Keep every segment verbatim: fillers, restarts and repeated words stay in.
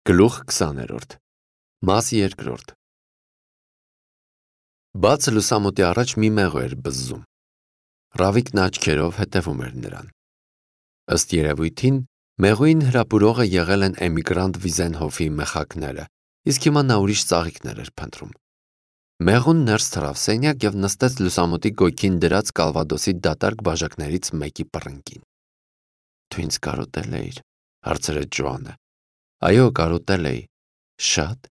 Գլուխ քսաներորդ Մաս երկրորդ Բաց լուսամուտի առաջ մի մեղու էր բզզում։ Ռավիկն աչքերով հետևում էր նրան։ Ըստ երևույթին, մեղուին հրապուրողը եղել են էմիգրանտ Վիզենհոֆի մեխակները, իսկ հիմա նա ուրիշ ծաղիկներ էր փնտրում։ Մեղուն ներս թռավ սենյակ և նստեց լուսամուտի գույքին դրած կալվադոսի դատարկ բաժակներից մեկի պռնկին։ Դու ինձ կարոտել էիր, հարցրեց Ջոանը։ Այո, կարոտել էի։ Շատ,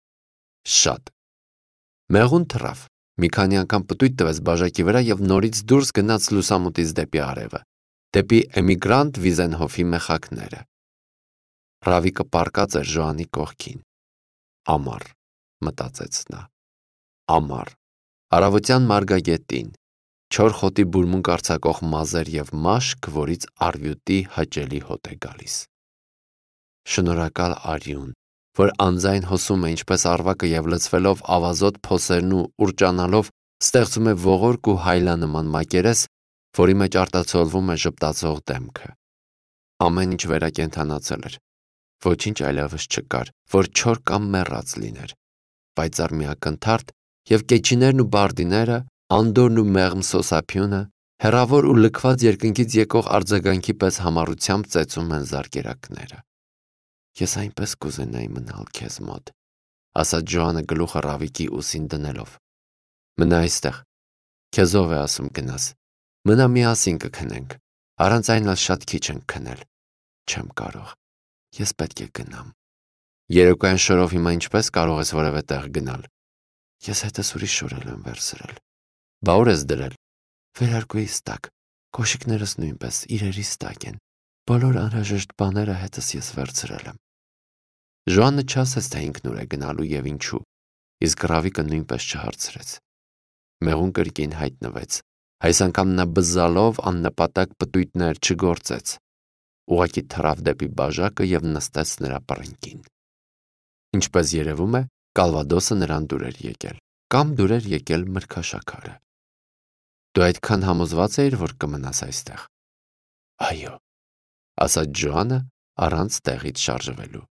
շատ։ Մեղուն թռավ, մի քանի անգամ պտույտ տվեց բաժակի վրա և նորից դուրս գնաց լուսամուտից դեպի արևը, դեպի էմիգրանտ Վիզենհոֆի մեխակները։ Ռավիկը պառկած էր Ջոանի կողքին։ Ամառ, մտածեց նա։ Ամառ, առավոտյան մարգագետին, չոր խոտի բուրմունք արձակող մազեր և մաշկ, որից առյուտի հաճելի հոտ է գալիս։ Շնորհակալ արյուն, որ անձայն հոսում է ինչպես առվակը և լցվելով ավազոտ փոսերն ու ուռճանալով ստեղծում է ողորկ ու հայլանման մակերես, որի մեջ արտացոլվում է ժպտացող դեմքը։ Ամեն ինչ վերակենդանացել էր։ Ոչինչ այլևս չկար, որ չոր կամ մեռած լիներ։ Պայծառ մի ակնթարթ և կեչիներն ու բարդիները, անդորն ու մեղմ սոսափյունը, հեռավոր ու լքված երկնքից եկող արձագանքի պես համառությամբ ծեծում են զարկերակները։ Ես այնպես կուզենայի մնալ քեզ մոտ, ասաց Ջոանը գլուխը Ռավիկի ուսին դնելով։ Մնա այստեղ, քեզ ով է ասում գնաս, մնա միասին կքնենք, առանց այն էլ շատ քիչ ենք քնել։ Չեմ կարող, ես պետք է գնամ։ Երեկոյան շորով հիմա ինչպես կարող ես որևէ տեղ գնալ։ Ես հետս ուրիշ շորել եմ վերցրել։ Բա ուր ես դրել։ Վերարկուիս տակ, կոշիկներս նույնպես իրերիս տակ են։ Բոլոր անհրաժեշտ բաները հետս ես վերցրել եմ։ Ջոանը չասեց, թե ինքն ուր է գնալու և ինչու, իսկ Ռավիկը նույնպես չհարցրեց։ Մեղուն կրկին հայտնվեց, այս անգամ նա բզզալով աննպատակ պտույտներ չգործեց։ Ուղղակի թռավ դեպի բաժակը և նստեց նրա պռնկին։ Ինչպես երևում է, կալվադոսը նրան դուր էր եկել, կամ դուր էր եկել մրգաշաքարը։ Դու այդքան համոզված էիր, որ կմնաս այստեղ։ Այո, ասաց Ջոանը առանց տեղից շարժվելու։